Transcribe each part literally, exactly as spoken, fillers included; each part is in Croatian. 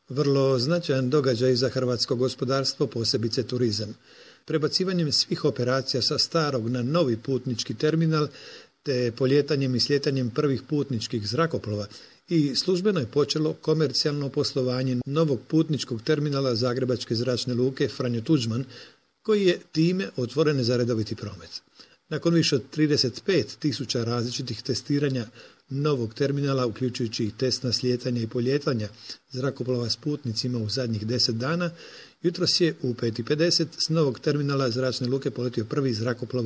Vrlo značajan događaj za hrvatsko gospodarstvo, posebice turizam. Prebacivanjem svih operacija sa starog na novi putnički terminal, te poljetanjem i sljetanjem prvih putničkih zrakoplova i službeno je počelo komercijalno poslovanje novog putničkog terminala Zagrebačke zračne luke Franjo Tuđman, koji je time otvoren za redoviti promet. Nakon više od trideset pet tisuća različitih testiranja novog terminala, uključujući i test na slijetanje i poljetanja zrakoplova s putnicima u zadnjih deset dana, jutros je u pet i pedeset s novog terminala zračne luke poletio prvi zrakoplov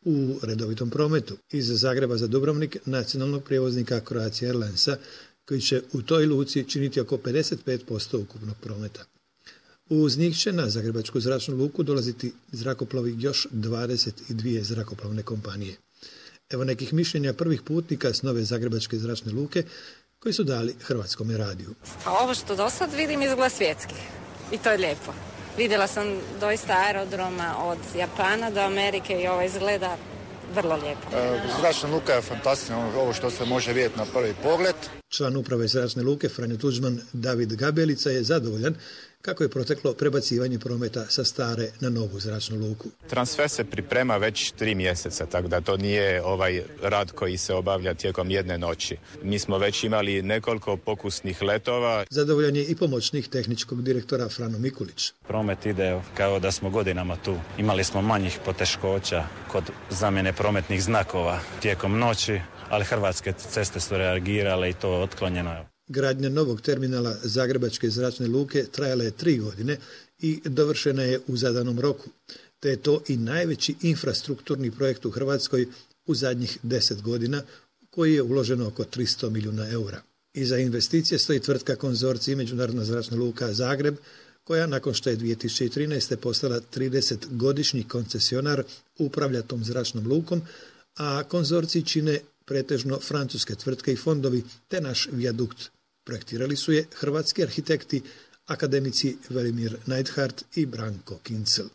u redovitom prometu iz Zagreba za Dubrovnik nacionalnog prijevoznika Croatia Airlinesa, koji će u toj luci činiti oko pedeset pet posto ukupnog prometa. Uz njih će na Zagrebačku zračnu luku dolaziti zrakoplovi još dvadeset dvije zrakoplovne kompanije. Evo nekih mišljenja prvih putnika s nove Zagrebačke zračne luke koji su dali Hrvatskome radiju. A ovo što do sad vidim izgleda svjetski i to je lijepo. Vidjela sam doista aerodroma od Japana do Amerike i ovo izgleda vrlo lijepo. Zračna luka je fantastična, ovo što se može vidjeti na prvi pogled. Član uprave zračne luke Franjo Tuđman David Gabelica je zadovoljan kako je proteklo prebacivanje prometa sa stare na novu zračnu luku. Transfer se priprema već tri mjeseca, tako da to nije ovaj rad koji se obavlja tijekom jedne noći. Mi smo već imali nekoliko pokusnih letova. Zadovoljan je i pomoćnik tehničkog direktora Frano Mikulić. Promet ide kao da smo godinama tu. Imali smo manjih poteškoća kod zamjene prometnih znakova tijekom noći, ali Hrvatske ceste su reagirale i to otklonjeno. Gradnja novog terminala Zagrebačke zračne luke trajala je tri godine i dovršena je u zadanom roku, te je to i najveći infrastrukturni projekt u Hrvatskoj u zadnjih deset godina, u koji je uloženo oko tristo milijuna eura. Iza investicije stoji tvrtka Konzorcij Međunarodna zračna luka Zagreb, koja nakon što je dvije tisuće trinaeste postala tridesetgodišnji koncesionar upravlja tom zračnom lukom, a konzorcij čine pretežno francuske tvrtke i fondovi te naš vijadukt. Projektirali su je hrvatski arhitekti, akademici Velimir Neidhardt i Branko Kincel.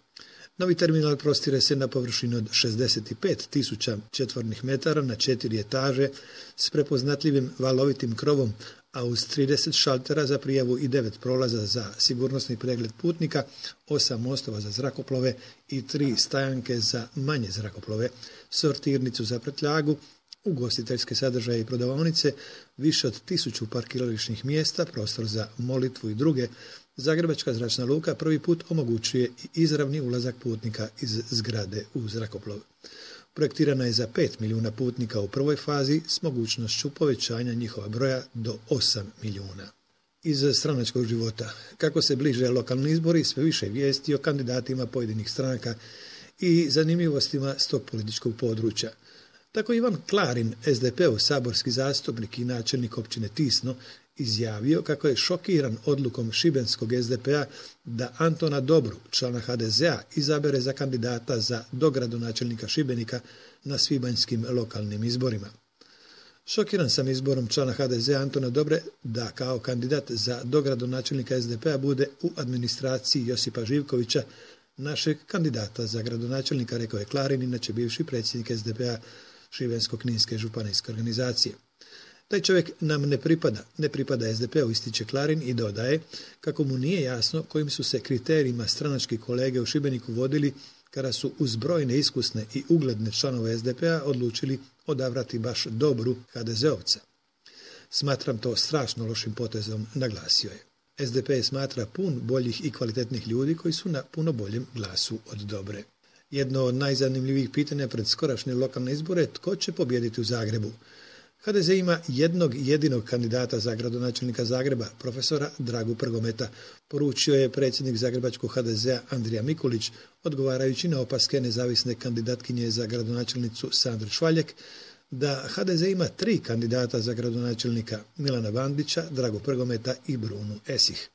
Novi terminal prostire se na površini od šezdeset pet tisuća četvornih metara na četiri etaže s prepoznatljivim valovitim krovom, a uz trideset šaltera za prijavu i devet prolaza za sigurnosni pregled putnika, osam mostova za zrakoplove i tri stajanke za manje zrakoplove, sortirnicu za prtljagu, ugostiteljske sadržaje i prodavaonice, više od tisuću parkirališnih mjesta, prostor za molitvu i druge. Zagrebačka zračna luka prvi put omogućuje i izravni ulazak putnika iz zgrade u zrakoplov. Projektirana je za pet milijuna putnika u prvoj fazi s mogućnošću povećanja njihova broja do osam milijuna. Iz stranačkog života. Kako se bliže lokalni izbori, sve više vijesti o kandidatima pojedinih stranaka i zanimljivostima s tog političkog područja. Tako Ivan Klarin, es de pe-ov saborski zastupnik i načelnik općine Tisno, izjavio kako je šokiran odlukom šibenskog es de pe-a da Antona Dobru, člana ha de ze a, izabere za kandidata za dogradonačelnika Šibenika na svibanjskim lokalnim izborima. Šokiran sam izborom člana ha de ze a Antona Dobre da kao kandidat za dogradonačelnika es de pe-a bude u administraciji Josipa Živkovića, našeg kandidata za gradonačelnika, rekao je Klarin, inače bivši predsjednik es de pe-a Šibensko-kninske županijske organizacije. Taj čovjek nam ne pripada, ne pripada es de pe-u, ističe Klarin i dodaje kako mu nije jasno kojim su se kriterijima stranački kolege u Šibeniku vodili kada su uz brojne iskusne i ugledne članove es de pe-a odlučili odabrati baš Dobru ha de ze ovca. Smatram to strašno lošim potezom, naglasio je. es de pe smatra pun boljih i kvalitetnih ljudi koji su na puno boljem glasu od Dobre. Jedno od najzanimljivijih pitanja pred skorašnje lokalne izbore je tko će pobijediti u Zagrebu. ha de ze ima jednog jedinog kandidata za gradonačelnika Zagreba, profesora Dragu Prgometa, poručio je predsjednik zagrebačkog ha de ze a Andrija Mikulić, odgovarajući na opaske nezavisne kandidatkinje za gradonačelnicu Sandre Švaljek, da ha de ze ima tri kandidata za gradonačelnika, Milana Bandića, Dragu Prgometa i Brunu Esih.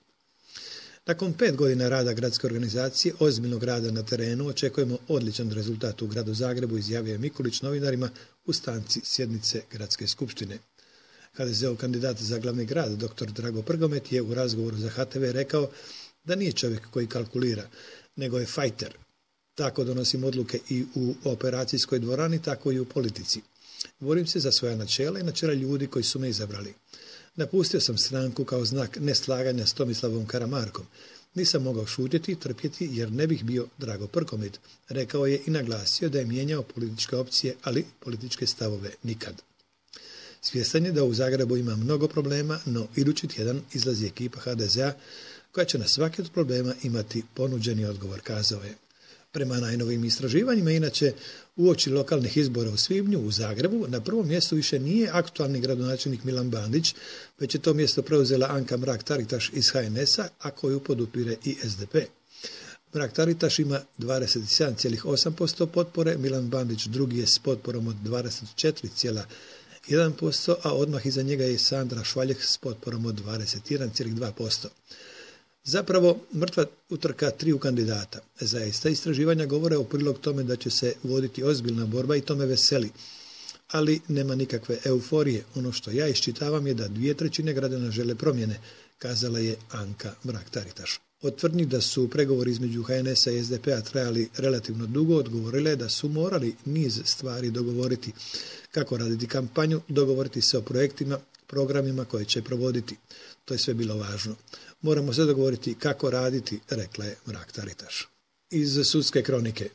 Nakon pet godina rada gradske organizacije, ozbiljnog rada na terenu, očekujemo odličan rezultat u gradu Zagrebu, izjavio je Mikulić novinarima u stanci sjednice gradske skupštine. ha de ze-ov kandidat za glavni grad, dr. Drago Prgomet, je u razgovoru za ha te ve rekao da nije čovjek koji kalkulira, nego je fajter. Tako donosim odluke i u operacijskoj dvorani, tako i u politici. Borim se za svoja načela i načela ljudi koji su me izabrali. Napustio sam stranku kao znak neslaganja s Tomislavom Karamarkom. Nisam mogao šutjeti i trpjeti jer ne bih bio Drago Prkomit, rekao je i naglasio da je mijenjao političke opcije, ali političke stavove nikad. Svjestan je da u Zagrebu ima mnogo problema, no idući tjedan izlazi ekipa ha de zea koja će na svaki od problema imati ponuđeni odgovor, kazao je. Prema najnovim istraživanjima, inače, uoči lokalnih izbora u svibnju u Zagrebu, na prvom mjestu više nije aktualni gradonačelnik Milan Bandić, već je to mjesto preuzela Anka Mrak-Taritaš iz ha en es a, a koju podupire i es de pe. Mrak-Taritaš ima dvadeset sedam zarez osam posto potpore, Milan Bandić drugi je s potporom od dvadeset četiri zarez jedan posto, a odmah iza njega je Sandra Švaljeg s potporom od dvadeset jedan zarez dva posto. Zapravo, mrtva utrka triju kandidata. Zaista, istraživanja govore u prilog tome da će se voditi ozbiljna borba i to me veseli. Ali nema nikakve euforije. Ono što ja iščitavam je da dvije trećine građana žele promjene, kazala je Anka Mrak-Taritaš. Od tvrdnji da su pregovori između ha en es a i es de pe a trajali relativno dugo, odgovorile da su morali niz stvari dogovoriti. Kako raditi kampanju, dogovoriti se o projektima, programima koje će provoditi. To je sve bilo važno. Moramo se dogovoriti kako raditi, rekla je Mrak-Taritaš. Iz sudske kronike.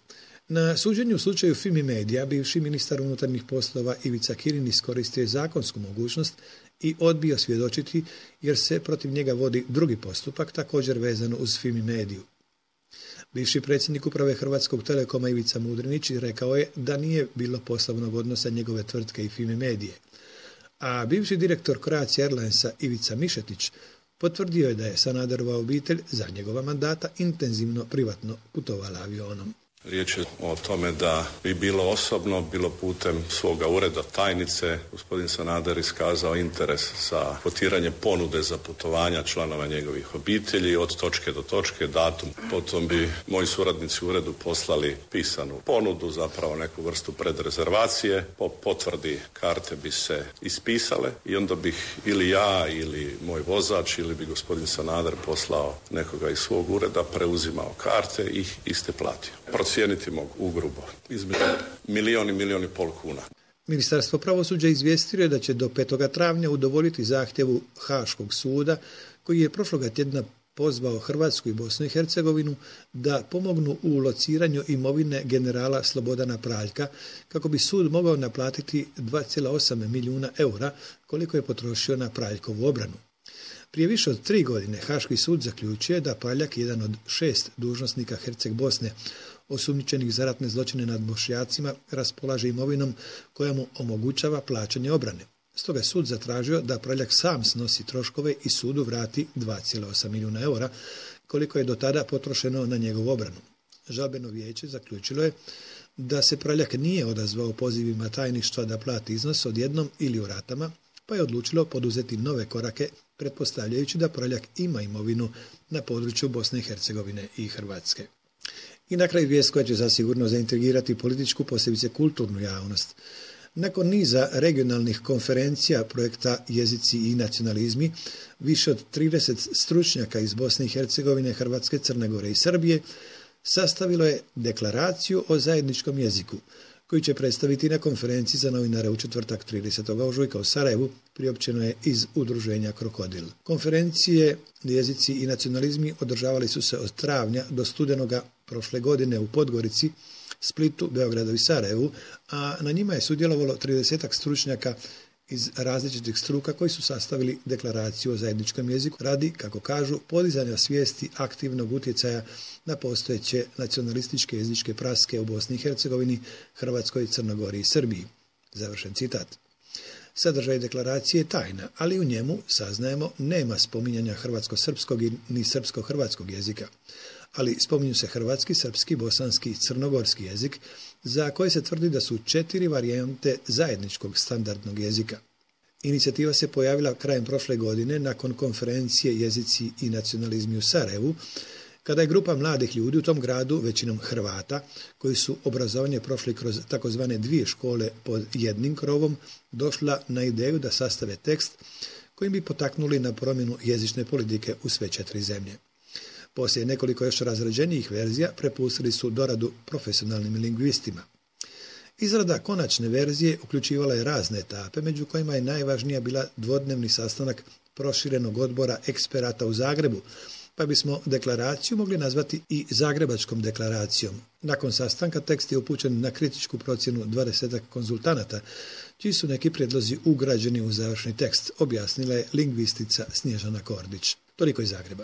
Na suđenju u slučaju Fimi Media bivši ministar unutarnjih poslova Ivica Kirin iskoristio je zakonsku mogućnost i odbio svjedočiti jer se protiv njega vodi drugi postupak također vezano uz Fimi Mediju. Bivši predsjednik uprave Hrvatskog Telekoma Ivica Mudrinić rekao je da nije bilo poslovnog odnosa njegove tvrtke i Fimi Medije. A bivši direktor Croatia Airlinesa Ivica Mišetić potvrdio je da je Sanaderova obitelj za njegova mandata intenzivno privatno putovala avionom. Riječ je o tome da bi bilo osobno, bilo putem svoga ureda tajnice, gospodin Sanader iskazao interes za kotiranje ponude za putovanja članova njegovih obitelji od točke do točke, datum. Potom bi moji suradnici u uredu poslali pisanu ponudu, zapravo neku vrstu predrezervacije. Po potvrdi karte bi se ispisale i onda bih ili ja ili moj vozač ili bi gospodin Sanader poslao nekoga iz svog ureda, preuzimao karte i ih iste platio. Procijeniti mogu ugrubo između milijun i milijun i pol kuna. Ministarstvo pravosuđa izvijestilo je da će do petoga travnja udovoljiti zahtjevu Haškog suda koji je prošloga tjedna pozvao Hrvatsku i Bosnu i Hercegovinu da pomognu u lociranju imovine generala Slobodana Praljka kako bi sud mogao naplatiti dva zarez osam milijuna eura koliko je potrošio na Praljkovu obranu. Prije više od tri godine Haški sud zaključio da Praljak, jedan od šest dužnosnika Herceg Bosne, osumnjičenih za ratne zločine nad Bošnjacima, raspolaže imovinom koja mu omogućava plaćanje obrane. Stoga je sud zatražio da Praljak sam snosi troškove i sudu vrati dva zarez osam milijuna eura, koliko je do tada potrošeno na njegovu obranu. Žalbeno vijeće zaključilo je da se Praljak nije odazvao pozivima tajništva da plati iznos odjednom ili u ratama, pa je odlučilo poduzeti nove korake, pretpostavljajući da Praljak ima imovinu na području Bosne i Hercegovine i Hrvatske. I na kraju vijest koja će zasigurno zaintrigirati političku, posebice kulturnu javnost. Nakon niza regionalnih konferencija projekta Jezici i nacionalizmi, više od trideset stručnjaka iz Bosne i Hercegovine, Hrvatske, Crne Gore i Srbije sastavilo je deklaraciju o zajedničkom jeziku, koji će predstaviti na konferenciji za novinare u četvrtak tridesetog ožujka u Sarajevu, priopćeno je iz udruženja Krokodil. Konferencije Jezici i nacionalizmi održavali su se od travnja do studenoga prošle godine u Podgorici, Splitu, Beogradu i Sarajevu, a na njima je sudjelovalo tridesetak stručnjaka iz različitih struka koji su sastavili deklaraciju o zajedničkom jeziku radi, kako kažu, podizanja svijesti aktivnog utjecaja na postojeće nacionalističke jezičke praske u Bosni i Hercegovini, Hrvatskoj, Crnogori i Srbiji. Završen citat. Sadržaj deklaracije je tajna, ali u njemu, saznajemo, nema spominjanja hrvatsko-srpskog ni srpsko-hrvatskog jezika, ali spominju se hrvatski, srpski, bosanski i crnogorski jezik, za koje se tvrdi da su četiri varijante zajedničkog standardnog jezika. Inicijativa se pojavila krajem prošle godine nakon konferencije Jezici i nacionalizmi u Sarajevu, kada je grupa mladih ljudi u tom gradu, većinom Hrvata, koji su obrazovanje prošli kroz takozvane dvije škole pod jednim krovom, došla na ideju da sastave tekst kojim bi potaknuli na promjenu jezične politike u sve četiri zemlje. Poslije nekoliko još razrađenijih verzija prepustili su doradu profesionalnim lingvistima. Izrada konačne verzije uključivala je razne etape, među kojima je najvažnija bila dvodnevni sastanak proširenog odbora eksperata u Zagrebu, pa bismo deklaraciju mogli nazvati i Zagrebačkom deklaracijom. Nakon sastanka tekst je upućen na kritičku procjenu dvadesetak konzultanata, čiji su neki prijedlozi ugrađeni u završni tekst, objasnila je lingvistica Snježana Kordić. Toliko iz Zagreba.